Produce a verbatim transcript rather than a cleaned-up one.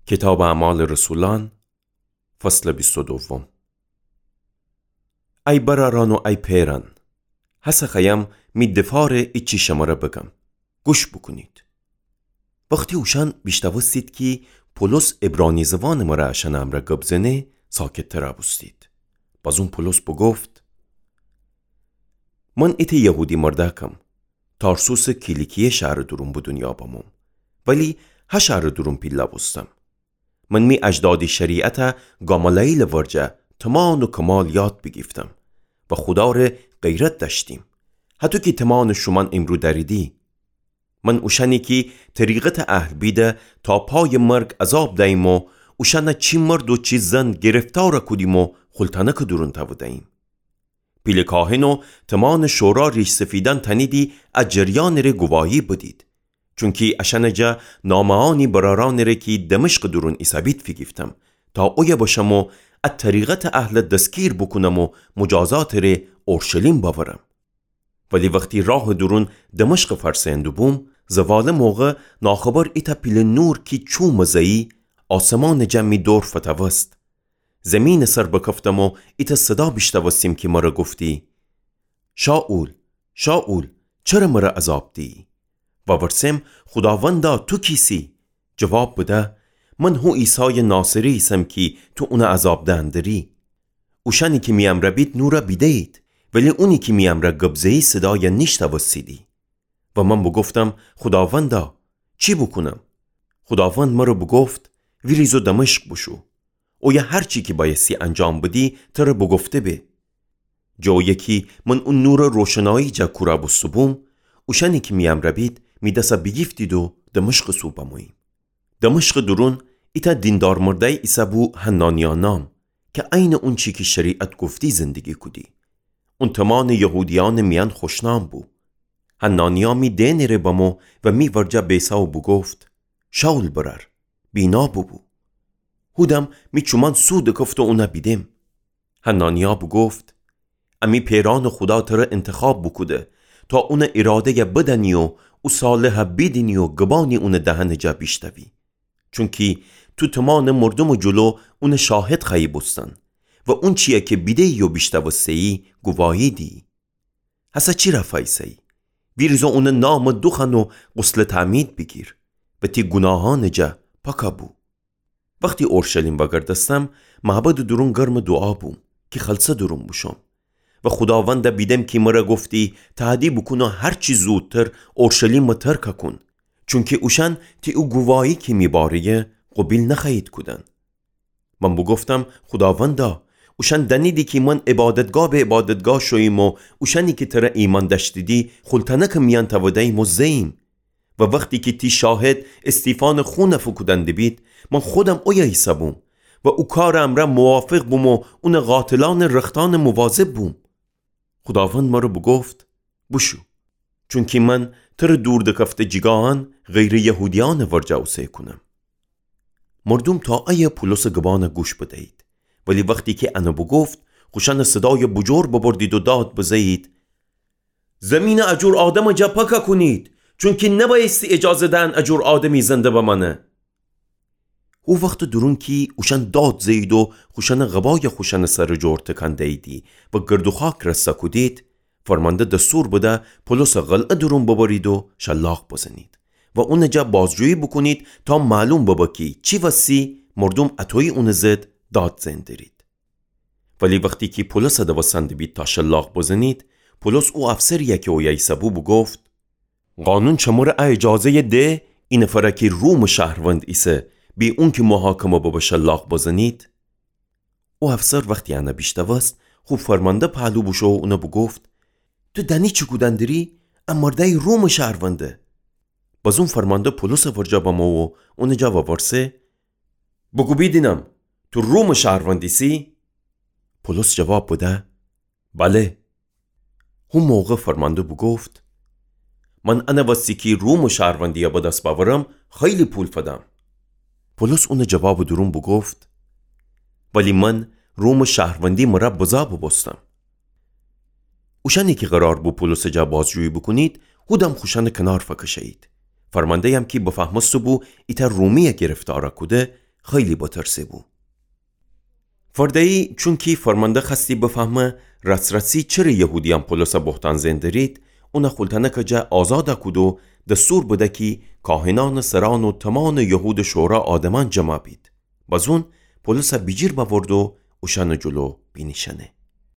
کیتابٚ اعمالٚ رسولأن، فصلٚ بیست و دوم. ای برأرأن و ای پئرأن، هسه خوأیم می دفاعٚ ایچی شمره بگم. گوش بوکونید. وختی اوشأن بیشنوستید کی پولس عبرانی زوانٚ مره اشأنٚ امرأ گب زنه، ساکت‌تر بوستید. بازون پولس بوگفت: من ایتأ یهودی مردأکم، تارسوسٚ کیلیکیه شهرٚ دورون به دونیا بموم، ولی ها شهرٚ دورون پیله بوستم. من می اجدادی شریعته گامالئیلٚ ورجه تمام و کمال یاد بیگیفتم و خودا ره غیرت دأشتیم، هطو کی تمام شومأن ایمرو دأریدی. من اوشأنی کی طریقتٚ اهل بیده تا پایٚ مرگ عذاب دییم و اوشأنه چی مرد و چی زن گرفتار کودیم و خلتأنکٚ دورون تأودییم. پیله کاهن و تمام شورا ریش‌سفیدأن تأنیدی ا جریانٚ ره گواهی بدید، چونکی اشأنٚ جا نامه‌یأنی برأرأنٚ ره کی دمشقٚ دورون ایسه‌بید فیگیفتم، تا اویه بشم و ا طریقتٚ اهله دستگیر بوکونم و مجازاتٚ ره اورشلیم بأورم. ولی وختی راهٚ دورون دمشق فأرسه‌یأندوبوم، زوالٚ موقع ناخبر ایتأ پیله نور کی چومٚ زئی، آسمانٚ جا می دور فتوست. زیمینٚ سر بکفتم و ایتأ صدا بیشنوستیم کی مره گفتی: شائول، شائول، چره مره عذاب دیی؟ وورسم: خوداوندا، تو کیسی؟ جواب بده: من هو عیسایٚ ناصری ایسم کی تو اونه عذاب دئن دری. اوشأنی کی می امرأ بید نوره بیده‌یید، ولی اونی کی می امرأ گب زه‌یی صدایه نیشنوستیدی. و من بوگفتم: خوداوندا، چی بوکونم؟ خوداوند مره بوگفت: ویریز و دمشق بوشو. اویه هر چی کی بأیستی انجام بدی، تره بوگفته به. جٚه اویه کی من او نورٚ روشنایی جا کورا بوسته‌بوم، اوشأنی کی می امرأ بید، می دسه بیگیفتید و دمشقٚ سو بموییم. دمشقٚ دورون ایتأ دیندار مردأیی ایسه‌بو حنانیا نام، کی عینٚ اونچی کی شریعت گفتی زندگی کودی. اون تمام یهودیأنٚ میأن خوشنام بو. حنانیا می دئنٚ ره بمو و می ورجه بیسه و بوگفت: شائول برأر، بینا بوبو. هودم می چومأن سو دکفت و اونه بیدم. حنانیا بوگفت: امی پئرأنٚ خودا تره انتخاب بوکوده تا اونٚ ایراده‌یه بدأنی و او صالحه بیدینی و گبانی اونٚ دهنٚ جا بیشنوی. چونکی تو تمام مردومٚ جلو اونٚ شاهد خوأیی بوستن و اونچیه کی بیده‌یی و بیشنوسته‌یی گواهی دیی. هسه چی رأ فأیسه‌یی؟ ویریز و اونٚ نامٚ دوخوأن و غسلٚ تعمید بیگیر و تی گوناهأنٚ جا پاکَ بو. وختی اورشلیم وأگردستم، معبدٚ دورون گرمٚ دوعا بوم کی خلسه دورون بوشوم. و خوداونده بیدم کی مره گفتی: تهدی بوکون و هر چی زودتر اورشلیمٚ ترکَ کون، چونکی اوشأن تی او گواهی کی می باره‌یه قوبیل نخوأیید کودن. من بوگفتم: خوداوندا، اوشأن دأنیدی کی من عبادتگاه به عبادتگاه شوییم و اوشأنی کی تره ایمأن دأشتیدی خلتأنکٚ میأن تأوده‌ییم و زه‌ییم. و وختی کی تی شاهد استیفانٚ خونَ فوکودن دیبید، من خودم اویه ایسه‌بوم و او کارٚ امرأ موافق بوم و اونٚ قاتلأنٚ رختأنٚ مواظب بوم. خوداوند مره بوگفت: بوشو، چونکی من تره دور دکفته جیگاهأن غیرٚ یهودیأنٚ ورجه اوسه کونم. مردوم تا ایه پولسٚ گبانَ گوش بدیید، ولی وختی کی انَ بوگفت، خوشأنٚ صدایَ بوجور ببردید و داد بزه‌یید: زمینَ ا جور آدمٚ جا پاکَ کونید، چونکی نبأیستی اجازه دهن ا جور آدمی زنده بمأنه. هو وختٚ دورون کی اوشأن داد زه‌یید و خوشأنٚ قبایَ خوشأنٚ سرٚ جور تکان دییدی و گرد و خاک رسَ کودید، فرمانده دستور بده پولسَ قلعه دورون ببرید و شلاق بزنید و اونٚ جا بازجویی بوکونید تا معلوم ببه کی چی وسی مردوم اطویی اونٚ ضد داد زئن درید. ولی وختی کی پولسَ دوستن دیبید تا شلاق بزنید، پولس او افسری‌یَ کی اویه ایسه‌بو بوگفت: قانون شمره ا اجازه‌یَ ده، ای نفرَ کی رومٚ شهروند ایسه، بی اونکی محاکمه ببه شلاق بزنید؟ او افسر وختی انَ بیشنوست، خو فرمانده پهلو بوشو و اونَ بوگفت: تو دأنی چی کودن دری؟ ا مردأیی رومٚ شهرونده. بازون فرمانده پولسٚ ورجه بمو و اونٚ جا وورسه: بوگو بیدینم، تو رومٚ شهروند ایسی؟ پولس جواب بده: بله. هو موقع فرمانده بوگفت: من انٚ وستی کی رومٚ شهروندی‌یَ به دس بأورم، خیلی پول فدم. پولس اونٚ جوابٚ دورون بوگفت: ولی من رومٚ شهروندی مره بزه بوبوستم. اوشأنی کی قرار بو پولسٚ جا بازجویی بوکونید، هودم خوشأنٚ کنار فکشه‌یید. فرمانده‌یم کی بفهمسته بو ایتأ رومی‌یَ گرفتارَ کوده، خیلی بترسه‌بو. فرده‌یی چونکی فرمانده خوأستی بفهمه راس‌راسی چره یهودیأن پولوسَ بهتان زئن درید، اونَ خولتأنکٚ جا آزادَ کود و دستور بده کی کاهنأنٚ سرأن و تومانٚ یهودٚ شورا آدمأن جمع بید. بزون پولوسَ بیجیر بأورد و اوشأنٚ جلو بینیشأنه.